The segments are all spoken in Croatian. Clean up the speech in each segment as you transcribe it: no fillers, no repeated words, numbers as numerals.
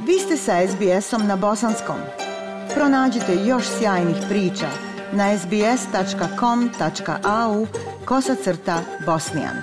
Vi ste sa SBS-om na bosanskom. Pronađite još sjajnih priča na sbs.com.au/bosnijan.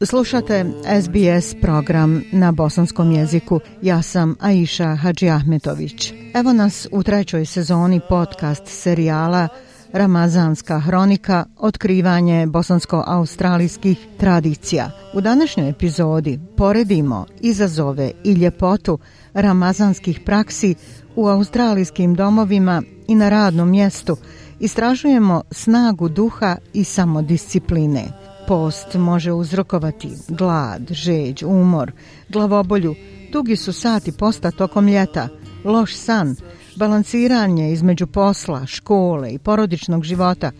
Slušate SBS program na bosanskom jeziku. Ja sam Aisha Hadžiahmetović. Evo nas u 3. sezoni podcast serijala Ramazanska hronika, otkrivanje bosansko-australijskih tradicija. U današnjoj epizodi poredimo izazove i ljepotu ramazanskih praksi u australijskim domovima i na radnom mjestu. Istražujemo snagu duha i samodiscipline. Post može uzrokovati glad, žeđ, umor, glavobolju, dugi su sati posta tokom ljeta, loš san, balansiranje između posla, škole i porodičnog života,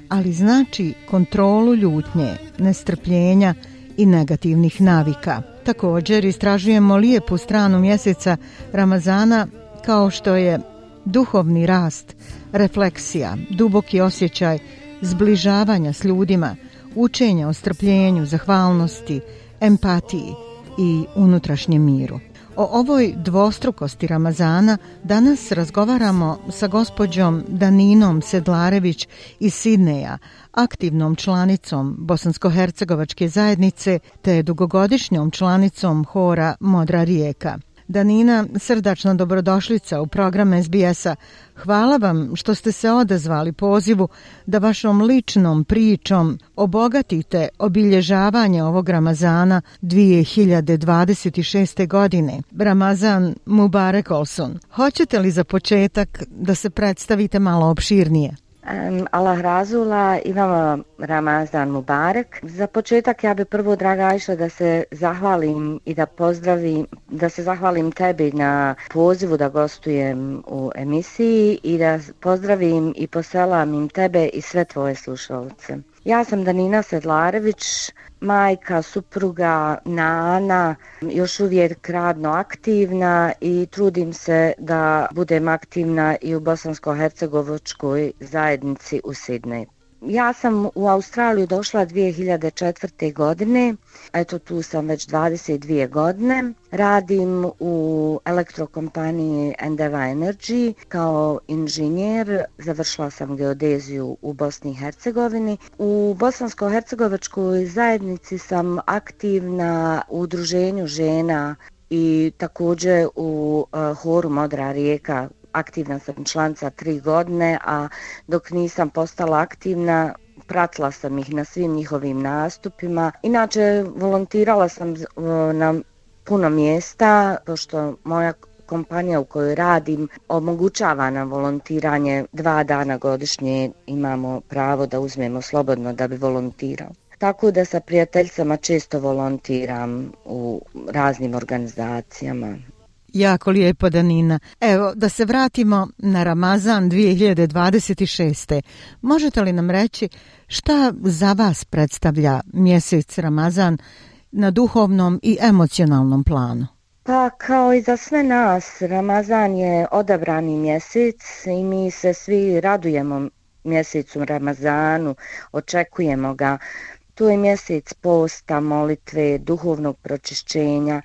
ali znači kontrolu ljutnje, nestrpljenja i negativnih navika. Također istražujemo lijepu stranu mjeseca Ramazana kao što je duhovni rast, refleksija, duboki osjećaj zbližavanja s ljudima, učenja o strpljenju, zahvalnosti, empatiji i unutrašnjem miru. O ovoj dvostrukosti Ramazana danas razgovaramo sa gospođom Daninom Sedlarević iz Sidneja, aktivnom članicom bosansko-hercegovačke zajednice te dugogodišnjom članicom hora Modra rijeka. Danina, srdačna dobrodošlica u program SBS-a. Hvala vam što ste se odazvali pozivu da vašom ličnom pričom obogatite obilježavanje ovog Ramazana 2026. godine. Ramazan Mubarek Olsun. Hoćete li za početak da se predstavite malo opširnije? Allah razula, imamo Ramazan Mubarek. Za početak ja bi prvo, draga Ajša, da se zahvalim i da se zahvalim tebi na pozivu da gostujem u emisiji i da pozdravim i poselamim tebe i sve tvoje slušalce. Ja sam Danina Sedlarević, majka, supruga, nana, još uvijek radno aktivna i trudim se da budem aktivna i u bosansko-hercegovačkoj zajednici u Sidneju. Ja sam u Australiju došla 2004. godine, eto tu sam već 22 godine. Radim u elektrokompaniji Endeavour Energy kao inženjer, završila sam geodeziju u Bosni i Hercegovini. U bosansko-hercegovačkoj zajednici sam aktivna u udruženju žena i također u horu Modra rijeka. Aktivna sam članica 3 godine, a dok nisam postala aktivna, pratila sam ih na svim njihovim nastupima. Inače, volontirala sam na puno mjesta, pošto moja kompanija u kojoj radim omogućava nam volontiranje 2 dana godišnje, imamo pravo da uzmemo slobodno da bi volontirao. Tako da sa prijateljicama često volontiram u raznim organizacijama. Jako lijepo, Danina. Evo, da se vratimo na Ramazan 2026. Možete li nam reći šta za vas predstavlja mjesec Ramazan na duhovnom i emocionalnom planu? Pa kao i za sve nas, Ramazan je odabrani mjesec i mi se svi radujemo mjesecu Ramazanu, očekujemo ga. Tu je mjesec posta, molitve, duhovnog pročišćenja.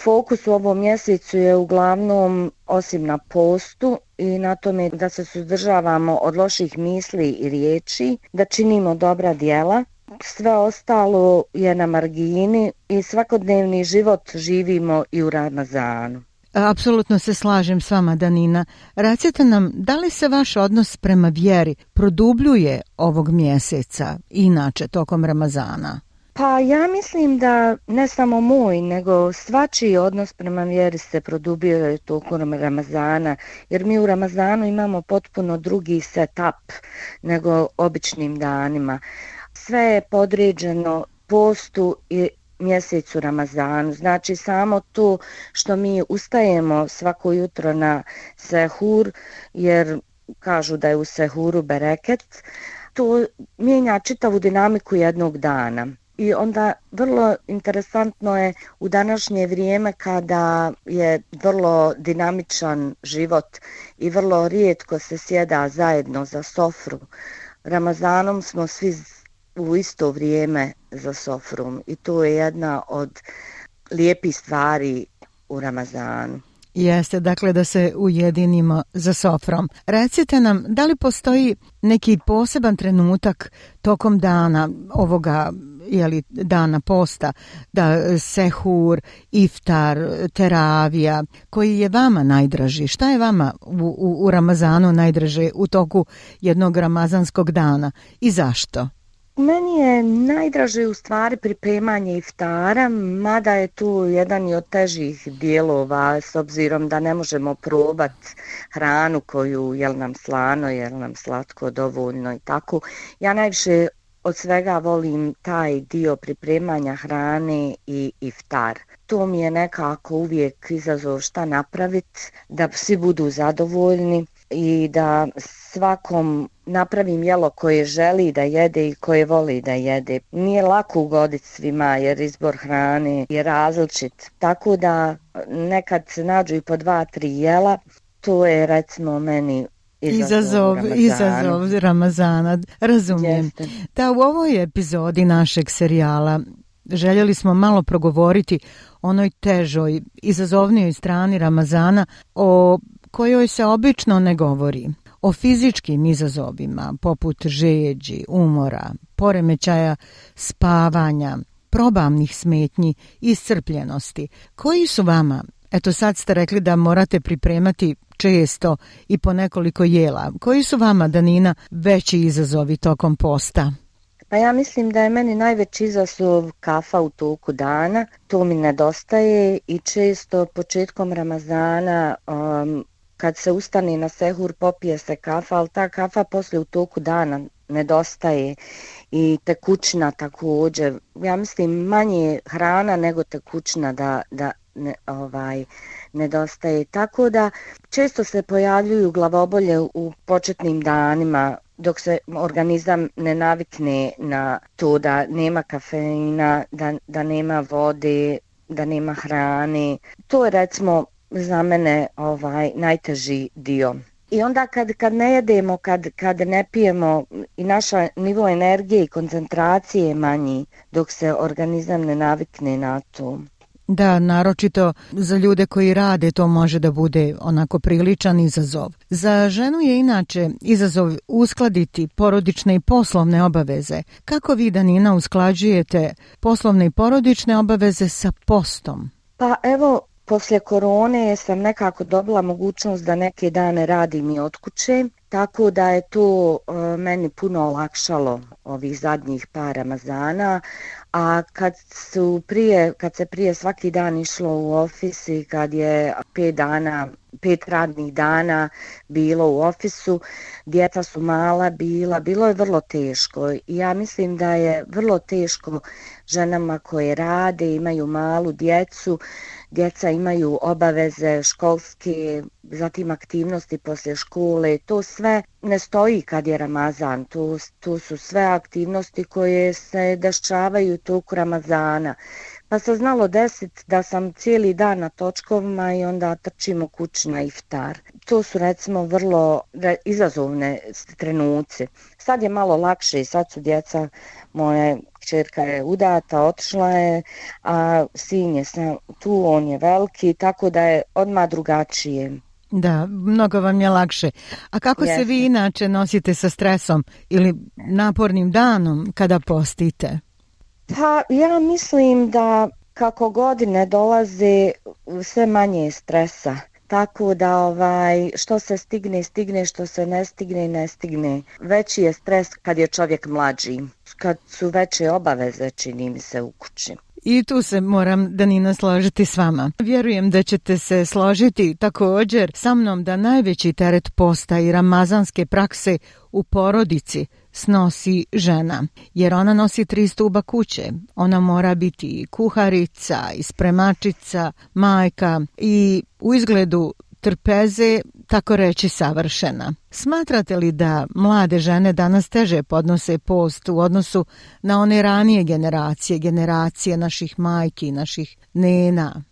Fokus u ovom mjesecu je uglavnom, osim na postu i na tome da se suzdržavamo od loših misli i riječi, da činimo dobra djela. Sve ostalo je na margini i svakodnevni život živimo i u Ramazanu. Apsolutno se slažem s vama, Danina. Recite nam, da li se vaš odnos prema vjeri produbljuje ovog mjeseca, inače tokom Ramazana? Pa ja mislim da ne samo moj, nego svačiji odnos prema vjeri se produbljuje tokom Ramazana, jer mi u Ramazanu imamo potpuno drugi setup nego običnim danima. Sve je podređeno postu i mjesecu Ramazanu. Znači samo to što mi ustajemo svako jutro na sehur, jer kažu da je u sehuru bereket, to mijenja čitavu dinamiku jednog dana. I onda vrlo interesantno je u današnje vrijeme kada je vrlo dinamičan život i vrlo rijetko se sjeda zajedno za sofru. Ramazanom smo svi u isto vrijeme za sofrom i to je jedna od lijepih stvari u Ramazanu. Jeste, dakle da se ujedinimo za sofrom. Recite nam, da li postoji neki poseban trenutak tokom dana ovoga dana posta, da sehur, iftar, teravija, koji je vama najdraži? Šta je vama u Ramazanu najdraže u toku jednog ramazanskog dana i zašto? Meni je najdraže u stvari pripremanje iftara, mada je tu jedan i od težih dijelova s obzirom da ne možemo probati hranu koju jel nam slano, jel nam slatko dovoljno i tako. Ja najviše od svega volim taj dio pripremanja hrane i iftar. To mi je nekako uvijek izazov šta napraviti, da svi budu zadovoljni i da svakom napravim jelo koje želi da jede i koje voli da jede. Nije lako ugoditi svima jer izbor hrane je različit. Tako da nekad se nađu i po 2-3 jela, to je recimo meni Izazov Ramazana, razumijem. Jeste. Da, u ovoj epizodi našeg serijala željeli smo malo progovoriti o onoj težoj, izazovnijoj strani Ramazana o kojoj se obično ne govori. O fizičkim izazovima poput žeđi, umora, poremećaja spavanja, probavnih smetnji i iscrpljenosti. Koji su vama, eto sad ste rekli da morate pripremati često i po nekoliko jela. Koji su vama, Danina, veći izazovi tokom posta? Pa ja mislim da je meni najveći izazov kafa u toku dana. To mi nedostaje i često početkom Ramazana kad se ustane na sehur popije se kafa, ali ta kafa poslije u toku dana nedostaje i tekućina također. Ja mislim manje hrana nego tekućina da nedostaje. Tako da često se pojavljuju glavobolje u početnim danima dok se organizam ne navikne na to da nema kafeina, da nema vode, da nema hrane. To je recimo za mene najteži dio. I onda kad ne jedemo, kad ne pijemo i naša nivo energije i koncentracije je manji dok se organizam ne navikne na to. Da, naročito za ljude koji rade to može da bude onako priličan izazov. Za ženu je inače izazov uskladiti porodične i poslovne obaveze. Kako vi, Danina, usklađujete poslovne i porodične obaveze sa postom? Pa evo, poslije korone sam nekako dobila mogućnost da neke dane radim i od kuće, tako da je to meni puno olakšalo ovih zadnjih par Ramazana, a kad se prije svaki dan išlo u ofis i kad je 5 radnih dana bilo u ofisu, djeca su mala bilo je vrlo teško i ja mislim da je vrlo teško ženama koje rade, imaju malu djecu, djeca imaju obaveze školske, zatim aktivnosti poslije škole, to sve ne stoji kad je Ramazan, to su sve aktivnosti koje se dešavaju toku Ramazana. Pa se znalo desiti da sam cijeli dan na točkovima i onda trčimo kući na iftar. To su recimo vrlo izazovne trenuci. Sad je malo lakše, sad su djeca, moja kćerka je udata, otišla je, a sin je tu, on je veliki, tako da je odmah drugačije. Da, mnogo vam je lakše. A kako se vi inače nosite sa stresom ili napornim danom kada postite? Pa ja mislim da kako godine dolaze sve manje stresa. Tako da što se stigne, što se ne stigne. Veći je stres kad je čovjek mlađi, kad su veće obaveze, čini mi se, u kući. I tu se moram, Danina, složiti s vama. Vjerujem da ćete se složiti također sa mnom da najveći teret posta i ramazanske prakse u porodici snosi žena, jer ona nosi 3 stuba kuće. Ona mora biti kuharica, i spremačica, majka i u izgledu trpeze, tako reći savršena. Smatrate li da mlade žene danas teže podnose post u odnosu na one ranije generacije naših majki, naših nena?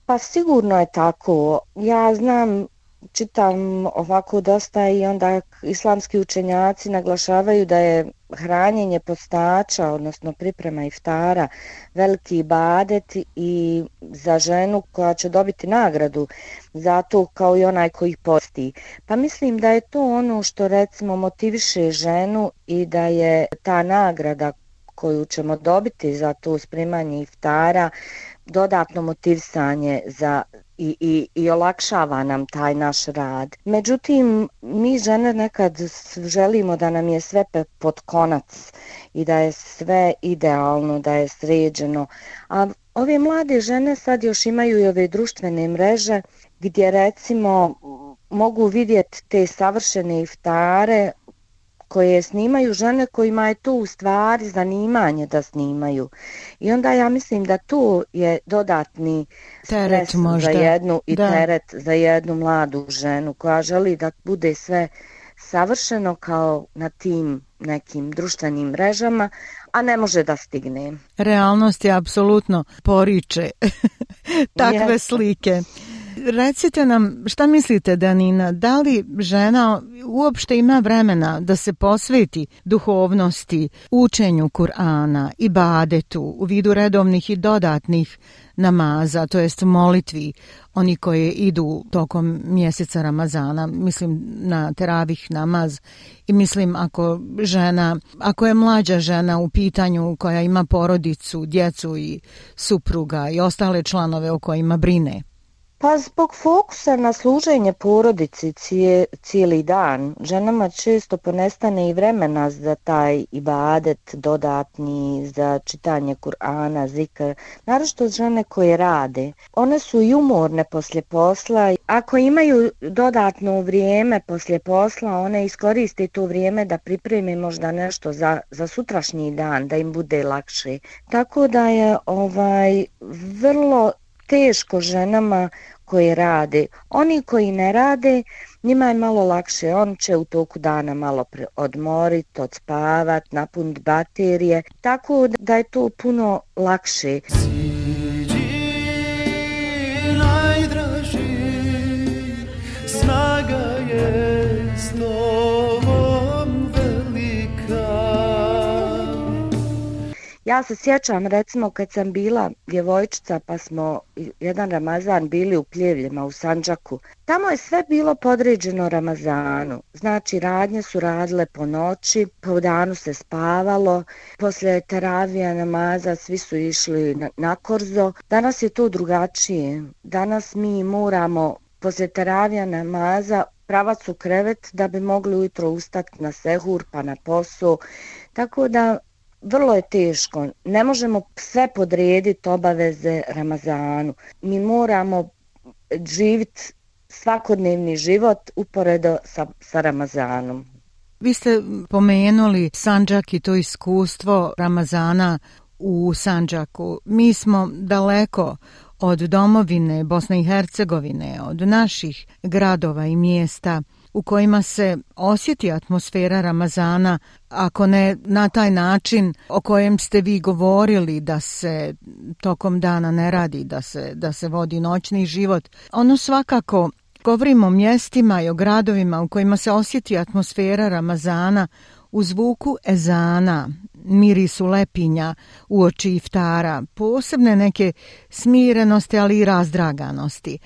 Pa sigurno je tako. Ja znam, čitam ovako dosta i onda islamski učenjaci naglašavaju da je hranjenje postača, odnosno priprema iftara, veliki ibadet i za ženu koja će dobiti nagradu za to kao i onaj koji posti. Pa mislim da je to ono što recimo motiviše ženu i da je ta nagrada koju ćemo dobiti za to spremanje iftara dodatno motivisanje za i olakšava nam taj naš rad. Međutim, mi žene nekad želimo da nam je sve pod konac i da je sve idealno, da je sređeno. A ove mlade žene sad još imaju i ove društvene mreže gdje recimo mogu vidjeti te savršene iftare koje snimaju žene kojima je to u stvari zanimanje da snimaju. I onda ja mislim da to je dodatni teret stres za jednu i teret za jednu mladu ženu koja želi da bude sve savršeno kao na tim nekim društvenim mrežama, a ne može da stigne. Realnost je apsolutno poriče takve slike. Recite nam, šta mislite, Danina, da li žena uopšte ima vremena da se posveti duhovnosti, učenju Kur'ana, ibadetu u vidu redovnih i dodatnih namaza, to jest molitvi, oni koji idu tokom mjeseca Ramazana, mislim na teravih namaz i mislim ako je mlađa žena u pitanju koja ima porodicu, djecu i supruga i ostale članove o kojima brine? Pa zbog fokusa na služenje porodici cijeli dan, ženama često ponestane i vremena za taj ibadet dodatni, za čitanje Kur'ana, zikr, naročito žene koje rade. One su i umorne poslije posla. Ako imaju dodatno vrijeme poslije posla, one iskoriste to vrijeme da pripreme možda nešto za sutrašnji dan, da im bude lakše. Tako da je vrlo teško ženama koje rade. Oni koji ne rade, njima je malo lakše. On će u toku dana malo odmoriti, odspavat, napuniti baterije. Tako da je to puno lakše. Najdraži, snaga je s tobom velika. Ja se sjećam recimo kad sam bila djevojčica pa smo jedan Ramazan bili u Pljevljima u Sandžaku. Tamo je sve bilo podređeno Ramazanu. Znači radnje su radile po noći, po danu se spavalo, poslije teravija namaza svi su išli na korzo. Danas je to drugačije. Danas mi moramo poslije teravija namaza pravac u krevet da bi mogli ujutro ustati na sehur pa na posao. Tako da vrlo je teško. Ne možemo sve podrediti obaveze Ramazanu. Mi moramo živjeti svakodnevni život uporedo sa Ramazanom. Vi ste pomenuli Sandžak i to iskustvo Ramazana u Sandžaku. Mi smo daleko od domovine Bosne i Hercegovine, od naših gradova i mjesta u kojima se osjeti atmosfera Ramazana, ako ne na taj način o kojem ste vi govorili, da se tokom dana ne radi, da se vodi noćni život. Ono svakako, govorimo o mjestima i o gradovima u kojima se osjeti atmosfera Ramazana u zvuku ezana, mirisu lepinja uoči iftara, posebne neke smirenosti, ali i razdraganosti.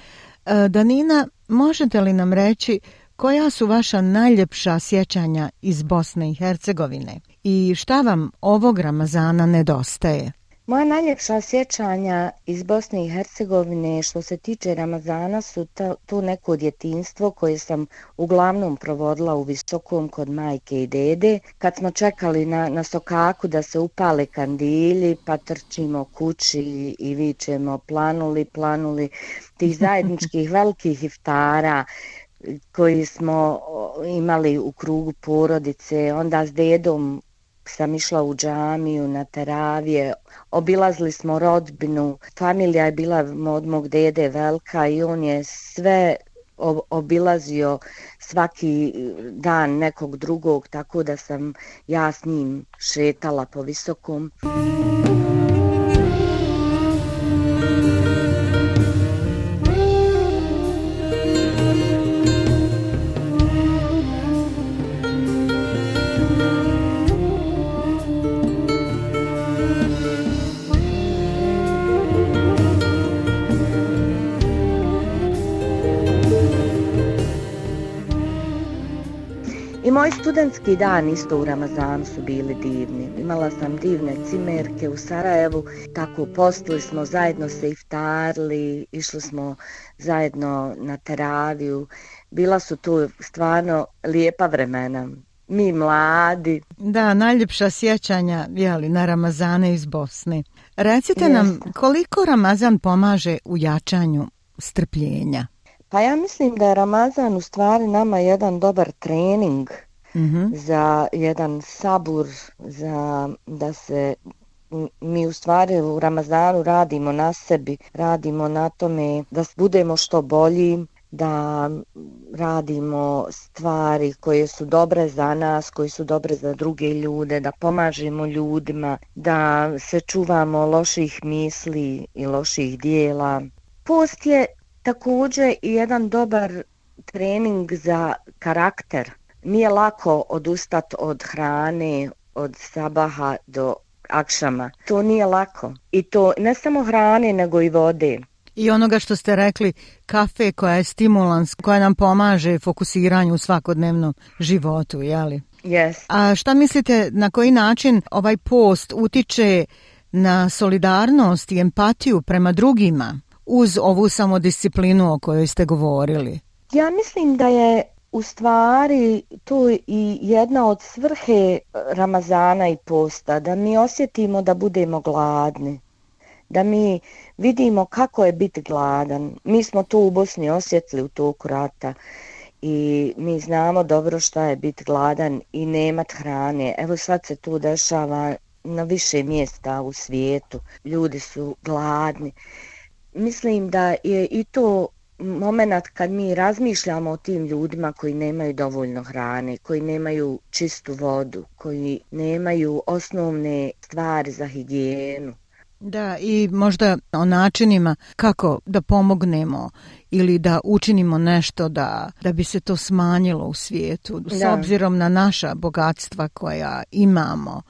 Danina, možete li nam reći koja su vaša najljepša sjećanja iz Bosne i Hercegovine i šta vam ovog Ramazana nedostaje? Moja najljepša sjećanja iz Bosne i Hercegovine što se tiče Ramazana su to neko djetinjstvo koje sam uglavnom provodila u Visokom kod majke i dede. Kad smo čekali na sokaku da se upale kandilji pa trčimo kući i vičemo planuli tih zajedničkih velikih iftara koji smo imali u krugu porodice, onda s dedom sam išla u džamiju, na teravije, obilazili smo rodbinu, familija je bila od mog dede velika i on je sve obilazio svaki dan nekog drugog, tako da sam ja s njim šetala po Visokom. I moji studentski dan isto u Ramazanu su bili divni. Imala sam divne cimerke u Sarajevu, tako postili smo, zajedno se iftarili, išli smo zajedno na teraviju. Bila su tu stvarno lijepa vremena. Mi mladi. Da, najljepša sjećanja na Ramazane iz Bosne. Recite nam koliko Ramazan pomaže u jačanju strpljenja? Pa ja mislim da je Ramazan u stvari nama jedan dobar trening za jedan sabur, za da se mi u stvari u Ramazanu radimo na sebi, radimo na tome da budemo što bolji, da radimo stvari koje su dobre za nas, koje su dobre za druge ljude, da pomažemo ljudima, da se čuvamo loših misli i loših dijela. Post je također i jedan dobar trening za karakter. Nije lako odustati od hrane, od sabaha do akšama. To nije lako. I to ne samo hrane, nego i vode. I onoga što ste rekli, kafe koja je stimulans, koja nam pomaže fokusiranju u svakodnevnom životu, jeli? Yes. A šta mislite, na koji način ovaj post utiče na solidarnost i empatiju prema drugima uz ovu samodisciplinu o kojoj ste govorili? Ja mislim da je u stvari to i jedna od svrhe Ramazana i posta, da mi osjetimo da budemo gladni, da mi vidimo kako je biti gladan. Mi smo to u Bosni osjetili u toku rata i mi znamo dobro šta je biti gladan i nemat hrane. Evo sad se to dešava na više mjesta u svijetu. Ljudi su gladni. Mislim da je i to moment kad mi razmišljamo o tim ljudima koji nemaju dovoljno hrane, koji nemaju čistu vodu, koji nemaju osnovne stvari za higijenu. Da, i možda o načinima kako da pomognemo ili da učinimo nešto da bi se to smanjilo u svijetu, s obzirom na naša bogatstva koja imamo,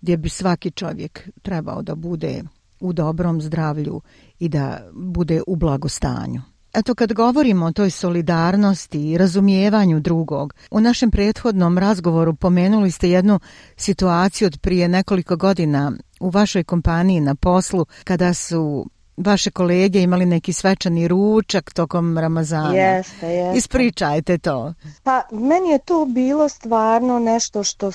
gdje bi svaki čovjek trebao da bude u dobrom zdravlju i da bude u blagostanju. Eto, kad govorimo o toj solidarnosti i razumijevanju drugog, u našem prethodnom razgovoru pomenuli ste jednu situaciju od prije nekoliko godina u vašoj kompaniji na poslu, kada su vaše kolege imali neki svečani ručak tokom Ramazana. Jeste. Ispričajte to. Pa meni je to bilo stvarno nešto što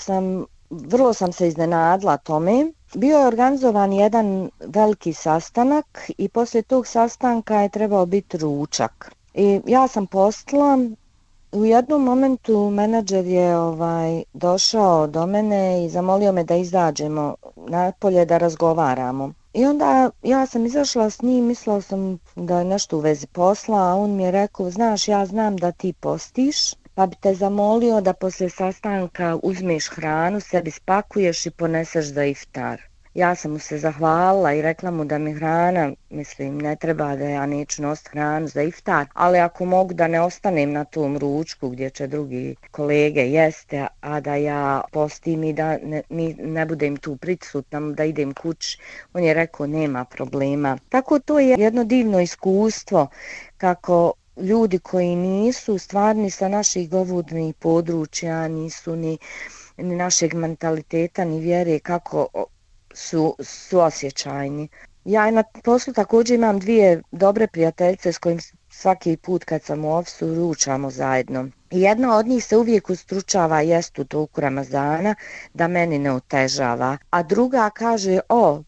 vrlo sam se iznenadila tome. Bio je organizovan jedan veliki sastanak i poslije tog sastanka je trebao biti ručak. I ja sam postala, u jednom momentu menadžer je došao do mene i zamolio me da izađemo napolje da razgovaramo. I onda ja sam izašla s njim, mislila sam da je nešto u vezi posla, a on mi je rekao, znaš, ja znam da ti postiš, pa bi te zamolio da poslije sastanka uzmeš hranu, sebi spakuješ i poneseš za iftar. Ja sam mu se zahvalila i rekla mu da mi hrana, mislim, ne treba, da ja neću nositi hranu za iftar, ali ako mogu da ne ostanem na tom ručku gdje će drugi kolege jeste, a da ja postim i da ne budem tu prisutna, da idem kući, on je rekao nema problema. Tako to je jedno divno iskustvo kako ljudi koji nisu stvarni sa naših govornih područja, nisu ni našeg mentaliteta, ni vjere, kako su osjećajni. Ja na poslu također imam dvije dobre prijateljice s kojim svaki put kad sam u ofisu ručamo zajedno. I jedna od njih se uvijek ustručava jest u toku Ramazana da meni ne otežava, a druga kaže,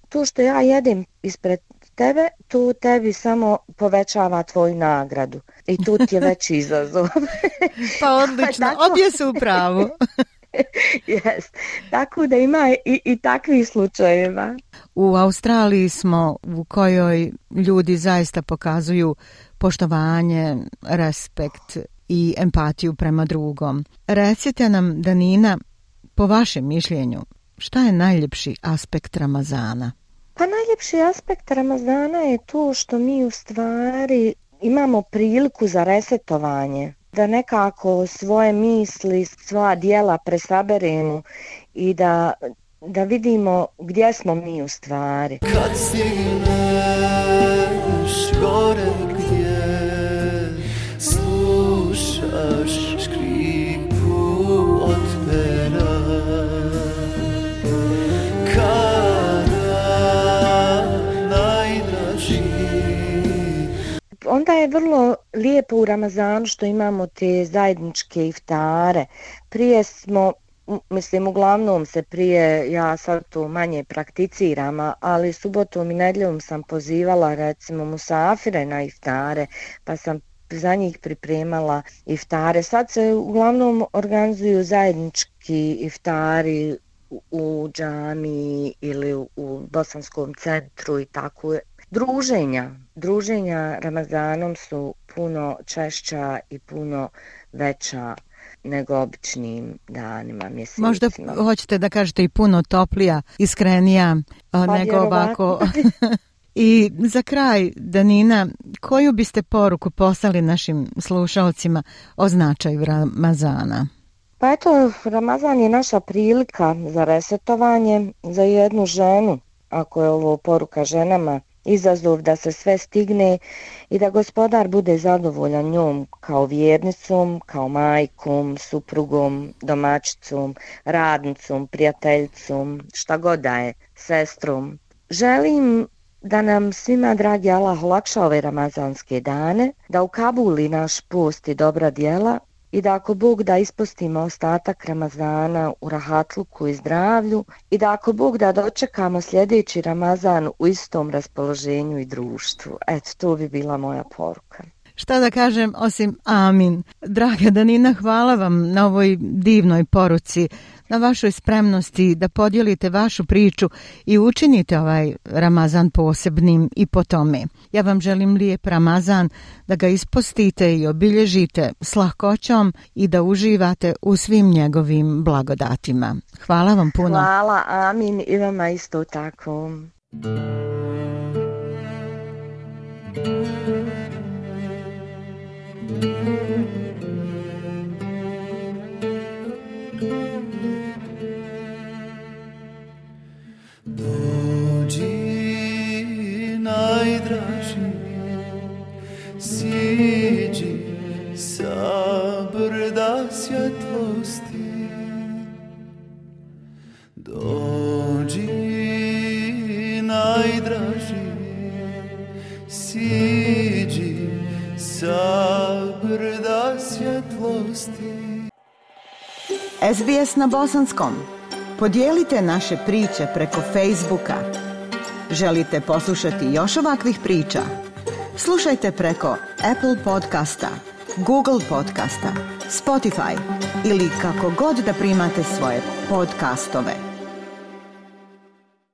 to što ja jedem ispred tebe, to tebi samo povećava tvoju nagradu i tu ti je veći izazov. Pa odlično, obje su u pravu. Yes. Tako da ima i takvih slučajeva. U Australiji smo u kojoj ljudi zaista pokazuju poštovanje, respekt i empatiju prema drugom. Recite nam, Danina, po vašem mišljenju, šta je najljepši aspekt Ramazana? Pa najljepši aspekt Ramazana je to što mi u stvari imamo priliku za resetovanje, da nekako svoje misli, svoja djela presaberemo i da vidimo gdje smo mi u stvari. Kad stigneš gore gdje slušaš škripu od pera, onda je vrlo lijepo u Ramazanu što imamo te zajedničke iftare. Prije smo, uglavnom se prije, ja sad to manje prakticiram, ali subotom i nedjeljom sam pozivala recimo musafire na iftare, pa sam za njih pripremala iftare. Sad se uglavnom organizuju zajednički iftari u džami ili u Bosanskom centru i tako. Druženja Ramazanom su puno češća i puno veća nego običnim danima, mjesecima. Možda hoćete da kažete i puno toplija, iskrenija nego ovako. I za kraj, Danina, koju biste poruku poslali našim slušalcima o značaju Ramazana? Pa eto, Ramazan je naša prilika za resetovanje, za jednu ženu, ako je ovo poruka ženama, izazov da se sve stigne i da Gospodar bude zadovoljan njom kao vjernicom, kao majkom, suprugom, domaćicom, radnicom, prijateljicom, šta god da je, sestrom. Želim da nam svima, dragi Allah, olakša ove ramazanske dane, da ukabuli naš post i dobra djela i da ako Bog da ispostimo ostatak Ramazana u rahatluku i zdravlju i da ako Bog da dočekamo sljedeći Ramazan u istom raspoloženju i društvu. Eto, to bi bila moja poruka. Šta da kažem osim amin. Draga Danina, hvala vam na ovoj divnoj poruci, na vašoj spremnosti da podijelite vašu priču i učinite ovaj Ramazan posebnim i po tome. Ja vam želim lijep Ramazan, da ga ispostite i obilježite s lahkoćom i da uživate u svim njegovim blagodatima. Hvala vam puno. Hvala, amin, i vama isto tako. Dođi, najdraži, siđi sa brda svjetlosti. Dođi, najdraži, siđi sa brda svjetlosti. SBS na bosanskom. Podijelite naše priče preko Facebooka. Želite poslušati još ovakvih priča? Slušajte preko Apple podcasta, Google podcasta, Spotify ili kako god da primate svoje podcastove.